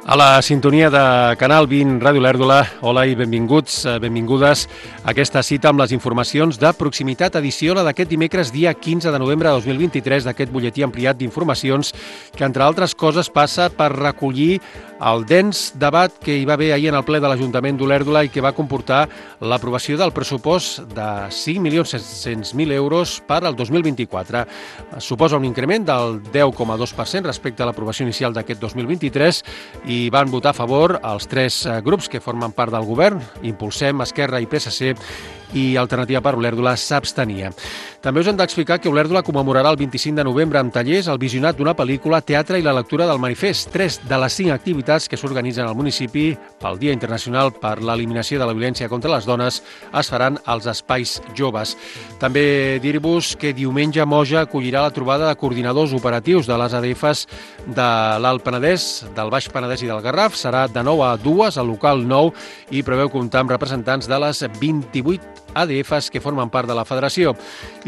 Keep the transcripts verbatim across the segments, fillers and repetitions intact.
A la sintonia de Canal vint Ràdio Olèrdola, hola i benvinguts, benvingudes a aquesta cita amb les informacions de proximitat, edició la d'aquest dimecres, dia quinze de novembre de dos mil vint-i-tres, d'aquest butlletí ampliat d'informacions que, entre altres coses, passa per recollir el dens debat que hi va haver ahir en el ple de l'Ajuntament d'Olèrdola i que va comportar l'aprovació del pressupost de cinc milions set-cents mil euros per al dos mil vint-i-quatre. Suposa un increment del deu coma dos per cent respecte a l'aprovació inicial d'aquest dos mil vint-i-tres i van votar a favor els tres grups que formen part del govern, Impulsem, Esquerra i P S C, i Alternativa per Olèrdola s'abstenia. També us hem d'explicar que Olèrdola commemorarà el vint-i-cinc de novembre amb tallers el visionat d'una pel·lícula, teatre i la lectura del manifest, tres de les cinc activitats que s'organitzen al municipi pel Dia Internacional per l'Eliminació de la Violència contra les Dones es faran als espais joves. També dir-vos que diumenge Moja acollirà la trobada de coordinadors operatius de les A D Fs de l'Alt Penedès, del Baix Penedès i del Garraf. Serà de nou a dues al local nou i preveu comptar amb representants de les vint-i-vuit A D Fs que formen part de la federació.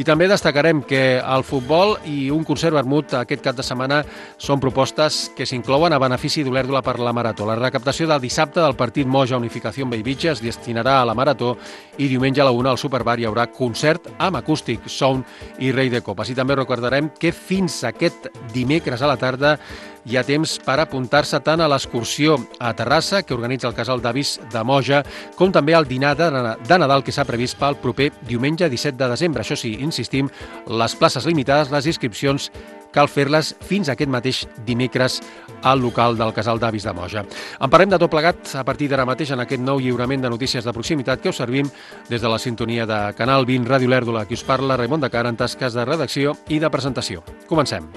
I també destacarem que el futbol i un concert vermut aquest cap de setmana són propostes que s'inclouen a benefici d'Olèrdola per la Marató. La recaptació del dissabte del partit Moja Unificació Bellvitge es destinarà a la Marató i diumenge a la una al Superbar hi haurà concert amb acústic, sound i rei de copes. I també recordarem que fins aquest dimecres a la tarda hi ha temps per apuntar-se tant a l'excursió a Terrassa, que organitza el Casal d'Avis de Moja, com també al dinar de Nadal que s'ha previst pel proper diumenge disset de desembre. Això sí, insistim, les places limitades, les inscripcions cal fer-les fins aquest mateix dimecres al local del Casal d'Avis de Moja. En parlem de tot plegat a partir d'ara mateix en aquest nou lliurament de notícies de proximitat que us servim des de la sintonia de Canal vint Ràdio Olèrdola. Qui us parla, Raimon de Cara, en tasques de redacció i de presentació. Comencem.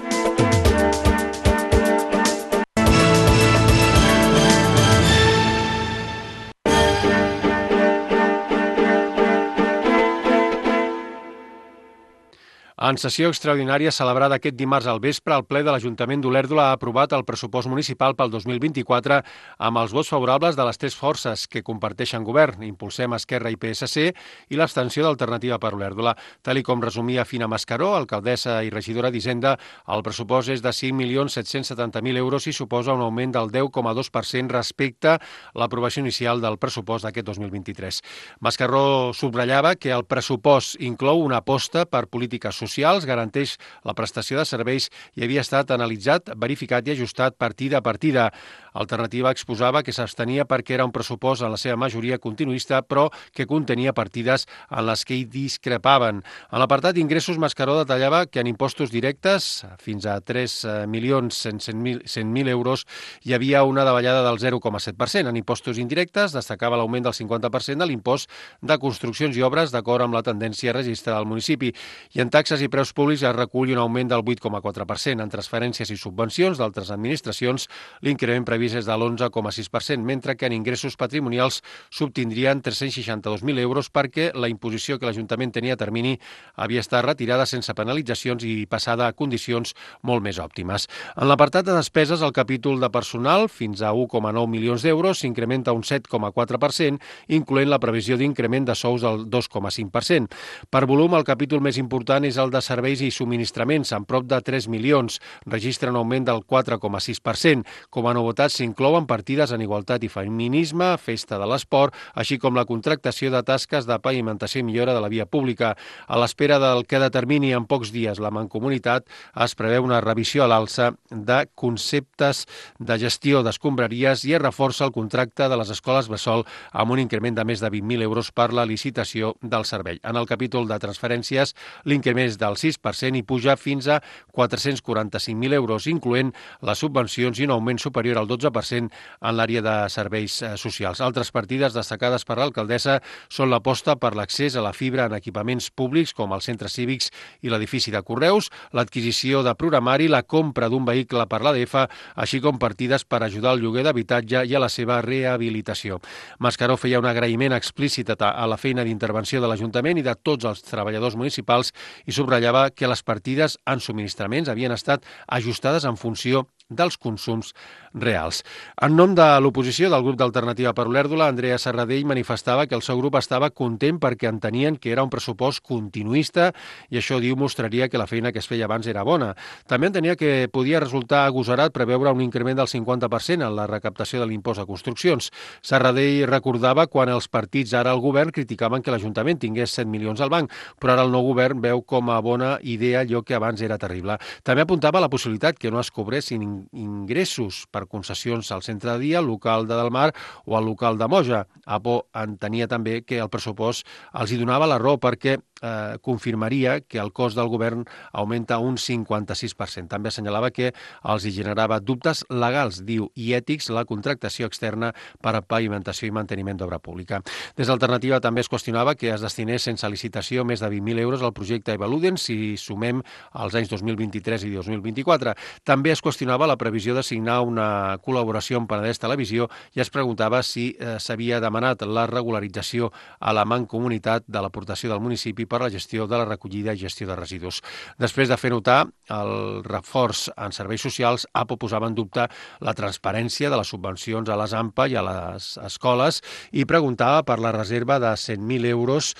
En sessió extraordinària celebrada aquest dimarts al vespre, el ple de l'Ajuntament d'Olèrdola ha aprovat el pressupost municipal pel dos mil vint-i-quatre amb els vots favorables de les tres forces que comparteixen govern, Impulsem, Esquerra i P S C, i l'abstenció d'Alternativa per Olèrdola. Tal i com resumia Fina Mascaró, alcaldessa i regidora d'Hisenda, el pressupost és de cinc milions set-cents setanta mil euros i suposa un augment del deu coma dos per cent respecte a l'aprovació inicial del pressupost d'aquest dos mil vint-i-tres. Mascaró subratllava que el pressupost inclou una aposta per polítiques socials socials, garanteix la prestació de serveis i havia estat analitzat, verificat i ajustat partida a partida. Alternativa exposava que s'abstenia perquè era un pressupost en la seva majoria continuista, però que contenia partides en les que hi discrepaven. En l'apartat d'ingressos, Mascaró detallava que en impostos directes, fins a tres milions cent mil euros, hi havia una davallada del zero coma set per cent. En impostos indirectes, destacava l'augment del cinquanta per cent de l'impost de construccions i obres d'acord amb la tendència registrada al municipi. I en taxes i preus públics es recull un augment del vuit coma quatre per cent. En transferències i subvencions d'altres administracions, l'increment previst és de l'onze coma sis per cent, mentre que en ingressos patrimonials s'obtindrien tres-cents seixanta-dos mil euros perquè la imposició que l'Ajuntament tenia a termini havia estat retirada sense penalitzacions i passada a condicions molt més òptimes. En l'apartat de despeses, el capítol de personal, fins a un coma nou milions d'euros, s'incrementa un set coma quatre per cent, incloent la previsió d'increment de sous del dos coma cinc per cent. Per volum, el capítol més important és el de serveis i subministraments, amb prop de tres milions. Registra un augment del quatre coma sis per cent. Com a novetat, s'inclouen partides en igualtat i feminisme, festa de l'esport, així com la contractació de tasques de pavimentació i millora de la via pública. A l'espera del que determini en pocs dies la Mancomunitat, es preveu una revisió a l'alça de conceptes de gestió d'escombraries i es reforça el contracte de les escoles bressol amb un increment de més de vint mil euros per la licitació del servei. En el capítol de transferències, l'increment és del sis per cent i puja fins a quatre-cents quaranta-cinc mil euros, incloent les subvencions i un augment superior al dotze per cent en l'àrea de serveis socials. Altres partides destacades per l'alcaldessa són l'aposta per l'accés a la fibra en equipaments públics com els centres cívics i l'edifici de Correus, l'adquisició de programari, la compra d'un vehicle per l'A D F, així com partides per ajudar al lloguer d'habitatge i a la seva rehabilitació. Mascaró feia un agraïment explícit a la feina d'intervenció de l'Ajuntament i de tots els treballadors municipals i subratllava que les partides en subministraments havien estat ajustades en funció dels consums reals. En nom de l'oposició del grup d'Alternativa per Olèrdola, Andrea Serradell manifestava que el seu grup estava content perquè entenien que era un pressupost continuista i això, diu, mostraria que la feina que es feia abans era bona. També entenia que podia resultar agosarat preveure un increment del cinquanta per cent en la recaptació de l'impost a construccions. Serradell recordava quan els partits ara al govern criticaven que l'Ajuntament tingués set milions al banc, però ara el nou govern veu com a bona idea allò que abans era terrible. També apuntava la possibilitat que no es cobressin ingressos per concessions al centre de dia, al local de Delmar o al local de Moja. Apo entenia també que el pressupost els hi donava la raó perquè eh, confirmaria que el cost del govern augmenta un cinquanta-sis per cent. També assenyalava que els hi generava dubtes legals, diu, i ètics la contractació externa per a pavimentació i manteniment d'obra pública. Des d'Alternativa també es qüestionava que es destinés sense licitació més de vint mil euros al projecte Evaluden si sumem els anys dos mil vint-i-tres i dos mil vint-i-quatre. També es qüestionava la previsió de signar una col·laboració amb Penedès Televisió i es preguntava si eh, s'havia demanat la regularització a la mancomunitat de l'aportació del municipi per la gestió de la recollida i gestió de residus. Després de fer notar el reforç en serveis socials, Apo posava en dubte la transparència de les subvencions a les A M P A i a les escoles i preguntava per la reserva de cent mil euros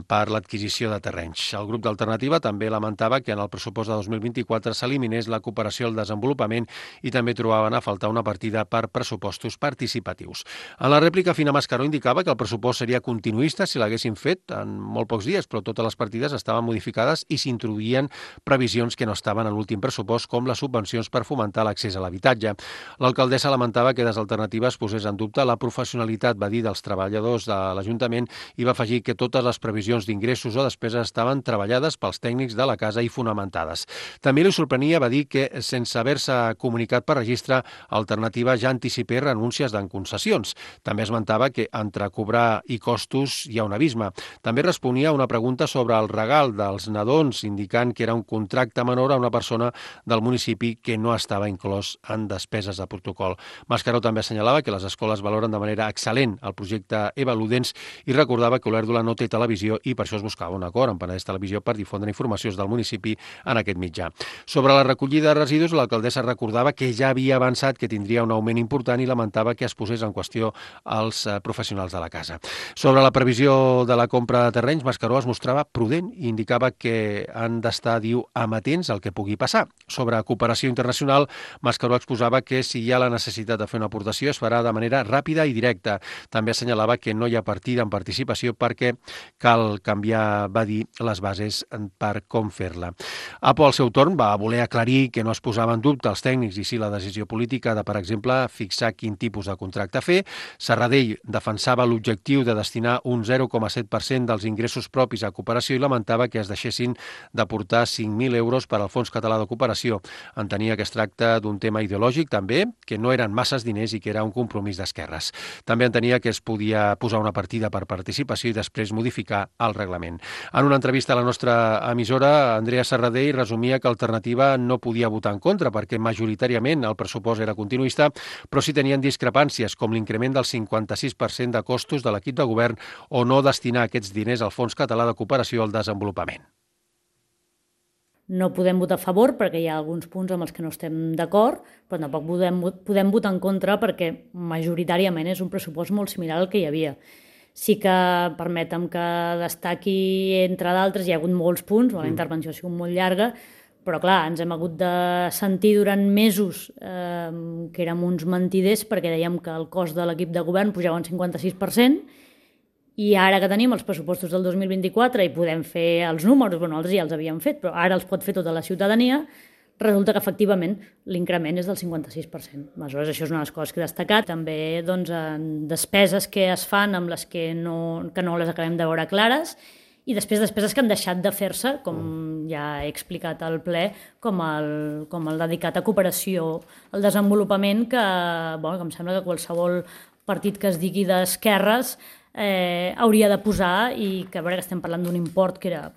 per l'adquisició de terrenys. El grup d'Alternativa també lamentava que en el pressupost de dos mil vint-i-quatre s'eliminés la cooperació al desenvolupament i també trobaven a faltar una partida per pressupostos participatius. En la rèplica, Fina Mascaró indicava que el pressupost seria continuista si l'haguessin fet en molt pocs dies, però totes les partides estaven modificades i s'introduïen previsions que no estaven en l'últim pressupost, com les subvencions per fomentar l'accés a l'habitatge. L'alcaldessa lamentava que des d'Alternativa es posés en dubte la professionalitat, va dir, dels treballadors de l'Ajuntament i va afegir que totes les previsions d'ingressos o despeses estaven treballades pels tècnics de la casa i fonamentades. També li sorprenia, va dir, que sense haver-se comunicat per registre, Alternativa ja anticipés renúncies en concessions. També esmentava que entre cobrar i costos hi ha un abisme. També responia a una pregunta sobre el regal dels nadons, indicant que era un contracte menor a una persona del municipi que no estava inclòs en despeses de protocol. Mascaró també assenyalava que les escoles valoren de manera excel·lent el projecte Evaludens i recordava que Olèrdola no té televisió i per això es buscava un acord amb Penedès Televisió per difondre informacions del municipi en aquest mitjà. Sobre la recollida de residus, l'alcaldessa recordava que ja havia avançat que tindria un augment important i lamentava que es posés en qüestió els professionals de la casa. Sobre la previsió de la compra de terrenys, Mascaró es mostrava prudent i indicava que han d'estar, diu, amatents al que pugui passar. Sobre cooperació internacional, Mascaró exposava que si hi ha la necessitat de fer una aportació es farà de manera ràpida i directa. També assenyalava que no hi ha partida en participació perquè cal canviar, va dir, les bases per com fer-la. Apo, al seu torn, va voler aclarir que no es posava en dubte els tècnics i sí la decisió política de, per exemple, fixar quin tipus de contracte fer. Serradell defensava l'objectiu de destinar un zero coma set per cent dels ingressos propis a cooperació i lamentava que es deixessin d'aportar cinc mil euros per al Fons Català de Cooperació. Entenia que es tracta d'un tema ideològic, també, que no eren masses diners i que era un compromís d'esquerres. També entenia que es podia posar una partida per participació i després modificar el reglament. En una entrevista a la nostra emissora, Andrea Serradell resumia que Alternativa no podia votar en contra perquè majoritàriament el pressupost era continuista, però sí tenien discrepàncies com l'increment del cinquanta-sis per cent de costos de l'equip de govern o no destinar aquests diners al Fons Català de Cooperació al Desenvolupament. No podem votar a favor perquè hi ha alguns punts amb els que no estem d'acord, però tampoc podem, podem votar en contra perquè majoritàriament és un pressupost molt similar al que hi havia. Sí que permetem que destaqui, entre d'altres, hi ha hagut molts punts, la intervenció ha sigut molt llarga, però clar, ens hem hagut de sentir durant mesos eh, que érem uns mentiders perquè dèiem que el cost de l'equip de govern pujava un cinquanta-sis per cent i ara que tenim els pressupostos del dos mil vint-i-quatre i podem fer els números, bueno, els ja els havíem fet, però ara els pot fer tota la ciutadania, resulta que efectivament l'increment és del cinquanta-sis per cent. Aleshores, això és una de les coses que he destacat. També doncs, despeses que es fan amb les que no, que no les acabem de veure clares i després despeses que han deixat de fer-se, com ja he explicat al ple, com el, com el dedicat a cooperació al desenvolupament, que, bueno, que em sembla que qualsevol partit que es digui d'esquerres eh, hauria de posar i que a veure que estem parlant d'un import que era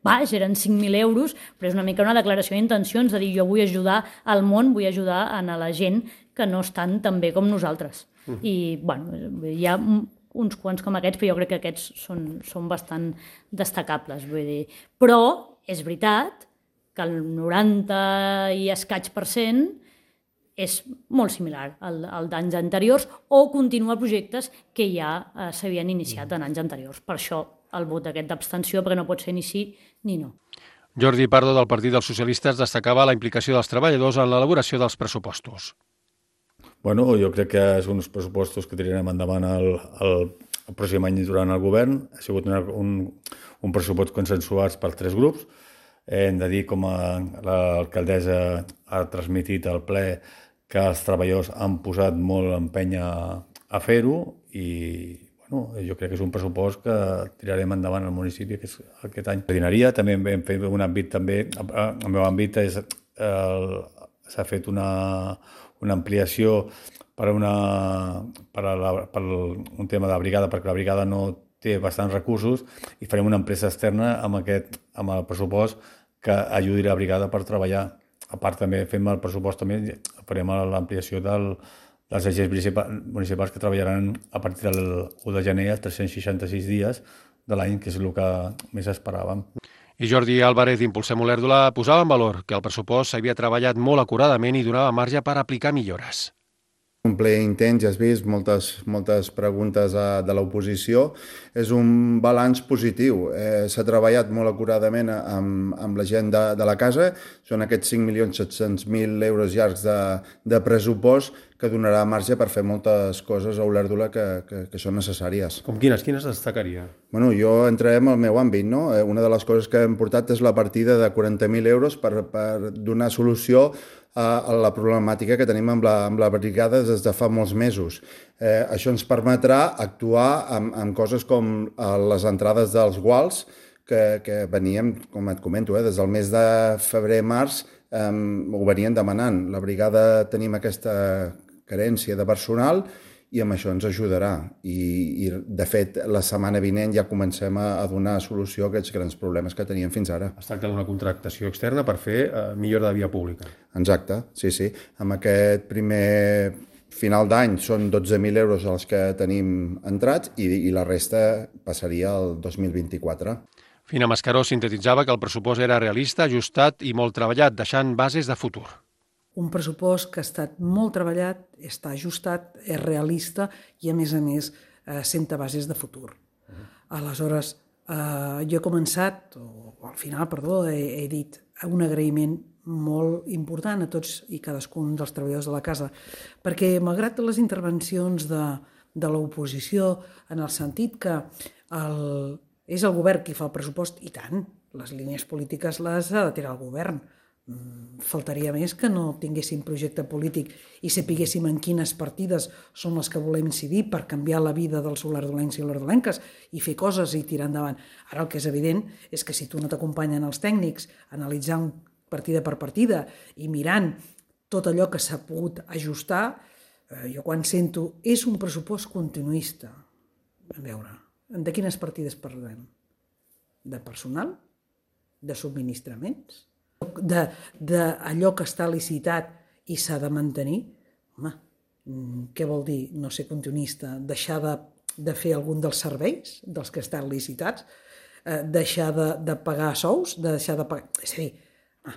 baix, eren cinc mil euros, però és una mica una declaració d'intencions de dir jo vull ajudar al món, vull ajudar a la gent que no estan tan bé com nosaltres. Uh-huh. I, bueno, hi ha uns quants com aquests, però jo crec que aquests són, són bastant destacables, vull dir. Però és veritat que el noranta i escaig per cent és molt similar al, al d'anys anteriors o continuar projectes que ja eh, s'havien iniciat en anys anteriors. Per això el vot aquest d'abstenció, perquè no pot ser ni sí ni no. Jordi Pardo, del Partit dels Socialistes, destacava la implicació dels treballadors en l'elaboració dels pressupostos. Bueno, jo crec que són uns pressupostos que tirarem endavant el, el, el pròxim any durant el govern. Ha sigut un, un, un pressupost consensuat per tres grups. Hem de dir, com a l'alcaldessa ha transmitit al ple, que els treballadors han posat molt empeny a, a fer-ho i bueno, jo crec que és un pressupost que tirarem endavant al municipi que és aquest any. Jardineria, també hem fet un àmbit, també, el meu àmbit és, s'ha fet una, una ampliació per, una, per, a la, per un tema de la brigada, perquè la brigada no té bastants recursos i farem una empresa externa amb, aquest, amb el pressupost que ajudi la brigada per treballar. A part, també fem el pressupost, també farem l'ampliació del, dels agents municipals que treballaran a partir del u de gener als tres-cents seixanta-sis dies de l'any, que és el que més esperàvem. I Jordi Álvarez d'Impulsem Olèrdola posava en valor que el pressupost s'havia treballat molt acuradament i donava marge per aplicar millores. Un ple intens, ja has vist, moltes, moltes preguntes de l'oposició. És un balanç positiu. Eh, S'ha treballat molt acuradament amb, amb la gent de, de la casa. Són aquests cinc milions set-cents mil euros llargs de, de pressupost que donarà marge per fer moltes coses a Olèrdola que, que, que són necessàries. Com quines? Quines destacaria? Bueno, jo entrarem al meu àmbit, no? Una de les coses que hem portat és la partida de quaranta mil euros per, per donar solució a la problemàtica que tenim amb la, amb la brigada des de fa molts mesos. Eh, això ens permetrà actuar amb, amb coses com les entrades dels guals, que, que veníem, com et comento, eh, des del mes de febrer-març eh, ho venien demanant. La brigada tenim aquesta carència de personal i amb això ens ajudarà. I, i de fet, la setmana vinent ja comencem a, a donar solució a aquests grans problemes que teníem fins ara. Es tracta d'una contractació externa per fer eh, millora de via pública. Exacte, sí, sí. Amb aquest primer final d'any són dotze mil euros els que tenim entrats i, i la resta passaria al dos mil vint-i-quatre. Fina Mascaró sintetitzava que el pressupost era realista, ajustat i molt treballat, deixant bases de futur. Un pressupost que ha estat molt treballat, està ajustat, és realista i, a més a més, eh, senta bases de futur. Uh-huh. Aleshores, eh, jo he començat, o, o al final, perdó, he, he dit un agraïment molt important a tots i cadascun dels treballadors de la casa, perquè malgrat les intervencions de, de l'oposició, en el sentit que el, és el govern qui fa el pressupost, i tant, les línies polítiques les ha de tirar el govern. Faltaria més que no tinguéssim projecte polític i sapiguéssim en quines partides són les que volem incidir per canviar la vida dels olerdolencs i olerdolenques i fer coses i tirar endavant. Ara el que és evident és que si tu no t'acompanyen els tècnics analitzant partida per partida i mirant tot allò que s'ha pogut ajustar, eh, jo quan sento és un pressupost continuista. A veure, de quines partides parlem? De personal? De subministraments? D'allò que està licitat i s'ha de mantenir? Home, què vol dir no ser continuista? Deixar de, de fer algun dels serveis, dels que estan licitats? Eh, deixar de, de pagar sous? De deixar de pagar... És a dir, ah,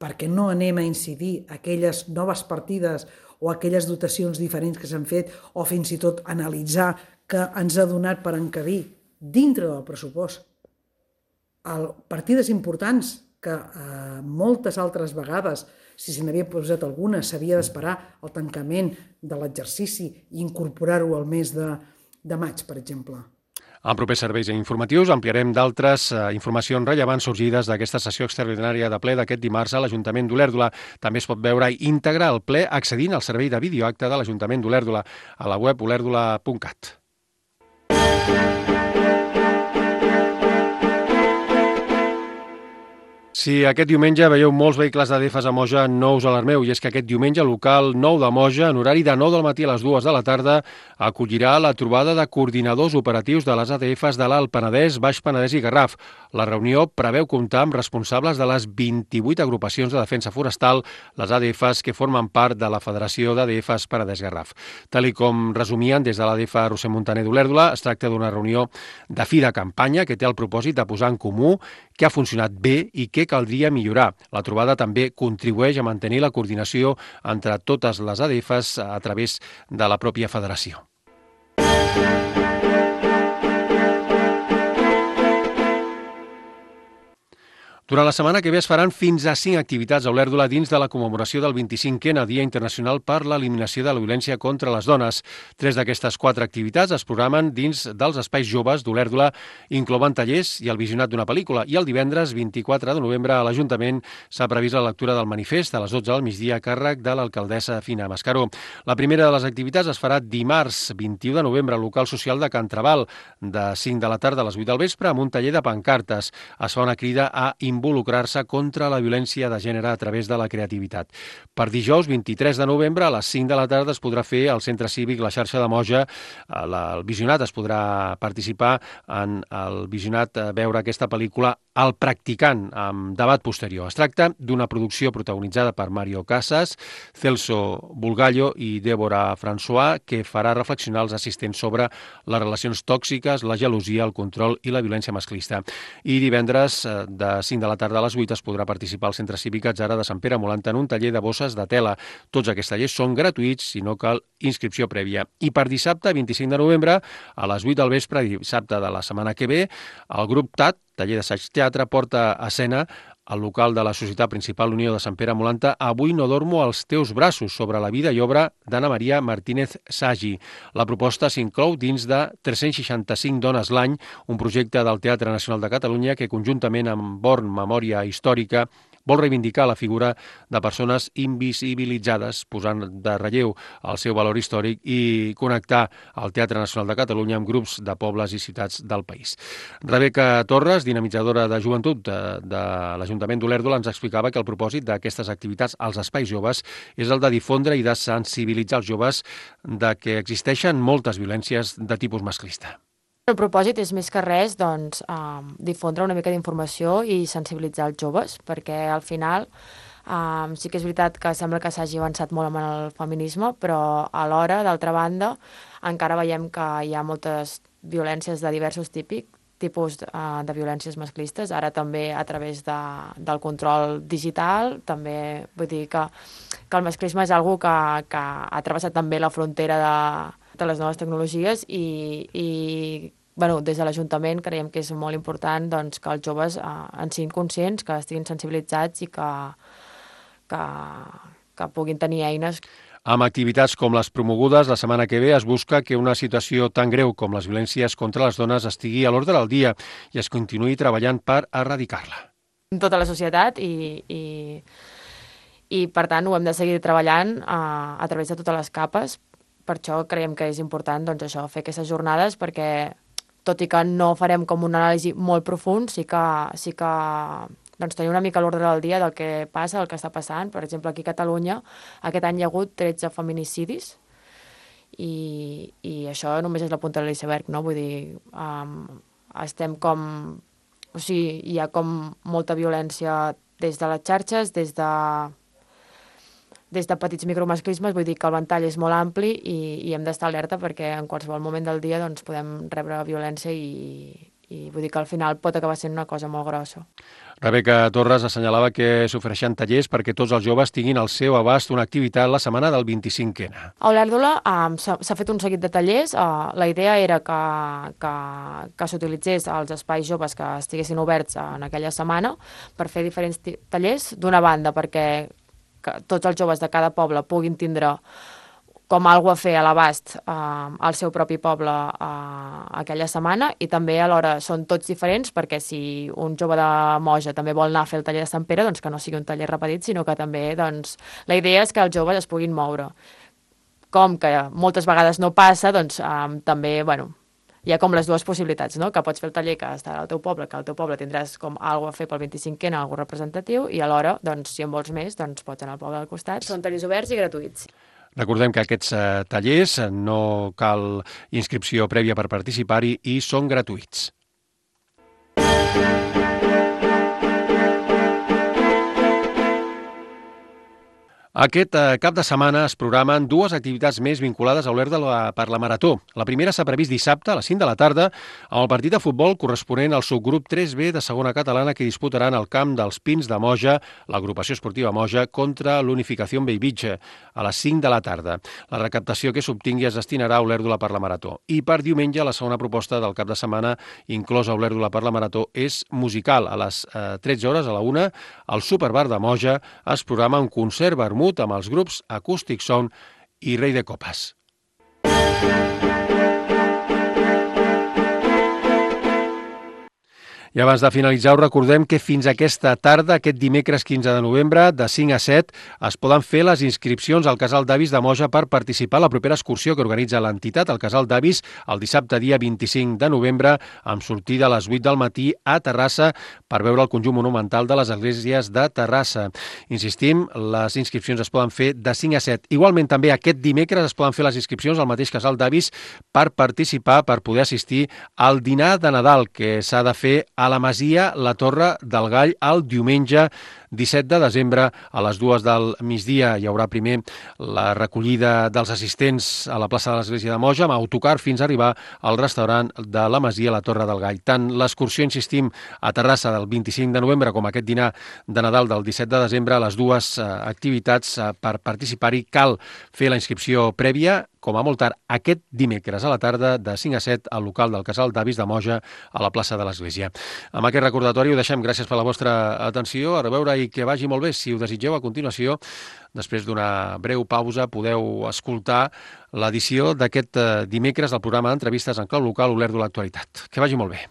perquè no anem a incidir aquelles noves partides o aquelles dotacions diferents que s'han fet o fins i tot analitzar que ens ha donat per encabir dintre del pressupost el, partides importants que eh, moltes altres vegades, si se n'havia posat alguna, s'havia d'esperar el tancament de l'exercici i incorporar-ho al mes de, de maig, per exemple. En propers serveis informatius ampliarem d'altres eh, informacions rellevants sorgides d'aquesta sessió extraordinària de ple d'aquest dimarts a l'Ajuntament d'Olèrdola. També es pot veure íntegre el ple accedint al servei de videoacte de l'Ajuntament d'Olèrdola a la web olèrdola punt cat. Si aquest diumenge veieu molts vehicles d'A D F a Moja, no us alarmeu, i és que aquest diumenge el local nou de Moja, en horari de nou del matí a les dues de la tarda, acollirà la trobada de coordinadors operatius de les A D Fs de l'Alt Penedès, Baix Penedès i Garraf. La reunió preveu comptar amb responsables de les vint-i-vuit agrupacions de defensa forestal, les A D Fs que formen part de la Federació d'A D Fs Penedès-Garraf. Tal i com resumien des de l'A D F Roser Montaner d'Olèrdola, es tracta d'una reunió de fi de campanya que té el propòsit de posar en comú què ha funcionat bé i què caldria millorar. La trobada també contribueix a mantenir la coordinació entre totes les A D Fs a través de la pròpia federació. Durant la setmana que ve es faran fins a cinc activitats a Olèrdola dins de la commemoració del vint-i-cinquè Dia Internacional per l'Eliminació de la Violència contra les Dones. Tres d'aquestes quatre activitats es programen dins dels espais joves d'Olèrdola, inclouen tallers i el visionat d'una pel·lícula. I el divendres vint-i-quatre de novembre a l'Ajuntament s'ha previst la lectura del manifest a les dotze del migdia a càrrec de l'alcaldessa Fina Mascaró. La primera de les activitats es farà dimarts vint-i-u de novembre al local social de Can Trabal, de cinc de la tarda a les vuit del vespre, amb un taller de pancartes. Es fa una crida a involucrar-se contra la violència de gènere a través de la creativitat. Per dijous, vint-i-tres de novembre, a les cinc de la tarda es podrà fer al Centre Cívic La Xarxa de Moja. El visionat es podrà participar en el visionat, veure aquesta pel·lícula El practicant, amb debat posterior. Es tracta d'una producció protagonitzada per Mario Casas, Celso Bulgallo i Débora François, que farà reflexionar els assistents sobre les relacions tòxiques, la gelosia, el control i la violència masclista. I divendres, de cinc de la tarda a les vuit, es podrà participar al Centre Cívic Atzara de Sant Pere Molant en un taller de bosses de tela. Tots aquests tallers són gratuïts, si no cal inscripció prèvia. I per dissabte, vint-i-cinc de novembre, a les vuit del vespre, dissabte de la setmana que ve, el grup T A T, taller d'assaig teatre, porta a escena al local de la Societat Principal Unió de Sant Pere Molanta Avui no dormo als teus braços, sobre la vida i obra d'Anna Maria Martínez Sagi. La proposta s'inclou dins de tres-cents seixanta-cinc dones l'any, un projecte del Teatre Nacional de Catalunya que, conjuntament amb Born Memòria Històrica, vol reivindicar la figura de persones invisibilitzades, posant de relleu el seu valor històric i connectar el Teatre Nacional de Catalunya amb grups de pobles i ciutats del país. Rebeca Torres, dinamitzadora de joventut de, de l'Ajuntament d'Olèrdola, ens explicava que el propòsit d'aquestes activitats als espais joves és el de difondre i de sensibilitzar els joves de que existeixen moltes violències de tipus masclista. El propòsit és més que res doncs, eh, difondre una mica d'informació i sensibilitzar els joves, perquè al final eh, sí que és veritat que sembla que s'hagi avançat molt amb el feminisme, però alhora, d'altra banda, encara veiem que hi ha moltes violències de diversos típics, tipus eh, de violències masclistes, ara també a través de, del control digital, també vull dir que, que el masclisme és una cosa que, que ha travessat també la frontera de, de les noves tecnologies i, i bueno, des de l'Ajuntament creiem que és molt important doncs, que els joves eh, en siguin conscients, que estiguin sensibilitzats i que, que, que puguin tenir eines. Amb activitats com les promogudes, la setmana que ve es busca que una situació tan greu com les violències contra les dones estigui a l'ordre del dia i es continuï treballant per erradicar-la. Tota la societat i, i, i per tant ho hem de seguir treballant a, a través de totes les capes. Per això creiem que és important doncs, això, fer aquestes jornades perquè tot i que no farem com una anàlisi molt profund, sí que, sí que doncs, tenir una mica l'ordre del dia del que passa, el que està passant. Per exemple, aquí a Catalunya aquest any hi ha hagut tretze feminicidis i, i això només és la punta de l'iceberg, no? Vull dir, um, estem com... O sigui, hi ha com molta violència des de les xarxes, des de... des de petits micromasclismes, vull dir que el ventall és molt ampli i, i hem d'estar alerta perquè en qualsevol moment del dia doncs, podem rebre violència i, i vull dir que al final pot acabar sent una cosa molt grossa. Rebeca Torres assenyalava que s'ofereixen tallers perquè tots els joves tinguin al seu abast una activitat la setmana del vint-i-cinquè. A Olèrdola um, s'ha fet un seguit de tallers. Uh, la idea era que, que, que s'utilitzés els espais joves que estiguessin oberts en aquella setmana per fer diferents tallers. D'una banda, perquè que tots els joves de cada poble puguin tindre com alguna a fer a l'abast eh, al seu propi poble eh, aquella setmana i també alhora són tots diferents perquè si un jove de Moja també vol anar a fer el taller de Sant Pere, doncs que no sigui un taller repetit, sinó que també doncs, la idea és que els joves es puguin moure. Com que moltes vegades no passa, doncs eh, també, bueno, hi ha com les dues possibilitats, no? Que pots fer el taller que estarà al teu poble, que al teu poble tindràs com alguna a fer pel vint-i-cinquè, alguna representatiu, i alhora, doncs, si en vols més, doncs pots anar al poble del costat. Són tallers oberts i gratuïts. Recordem que aquests eh, tallers no cal inscripció prèvia per participar-hi i són gratuïts. Aquest eh, cap de setmana es programen dues activitats més vinculades a Olèrdola per la Marató. La primera s'ha previst dissabte a les cinc de la tarda amb el partit de futbol corresponent al subgrup tres B de segona catalana que disputaran al camp dels Pins de Moja, l'agrupació esportiva Moja, contra l'Unificació Bellvitge a les cinc de la tarda. La recaptació que s'obtingui es destinarà a Olèrdola per la Marató. I per diumenge, la segona proposta del cap de setmana inclosa a Olèrdola per la Marató és musical. A les eh, tretze hores, a la una, al Superbar de Moja es programa un concert vermut amb els grups Acústic Sound i Rei de Copes. I abans de finalitzar, us recordem que fins aquesta tarda, aquest dimecres quinze de novembre, de cinc a set, es poden fer les inscripcions al Casal d'Avis de Moja per participar a la propera excursió que organitza l'entitat, el Casal d'Avis, el dissabte dia vint-i-cinc de novembre, amb sortida a les vuit del matí a Terrassa per veure el conjunt monumental de les esglésies de Terrassa. Insistim, les inscripcions es poden fer de cinc a set. Igualment, també aquest dimecres es poden fer les inscripcions al mateix Casal d'Avis per participar, per poder assistir al dinar de Nadal que s'ha de fer a la Masia La Torre del Gall el diumenge disset de desembre a les dues del migdia. Hi haurà primer la recollida dels assistents a la plaça de l'Església de Moja amb autocar fins a arribar al restaurant de la Masia La Torre del Gall. Tant l'excursió, insistim, a Terrassa del vint-i-cinc de novembre com aquest dinar de Nadal del disset de desembre, les dues eh, activitats eh, per participar-hi cal fer la inscripció prèvia, com a molt tard, aquest dimecres a la tarda de cinc a set al local del Casal d'Avis de Moja a la plaça de l'Església. Amb aquest recordatori ho deixem. Gràcies per la vostra atenció. A reveure i que vagi molt bé. Si ho desitgeu, a continuació, després d'una breu pausa, podeu escoltar l'edició d'aquest dimecres del programa d'entrevistes en clau local Olèrdola Actualitat. Que vagi molt bé.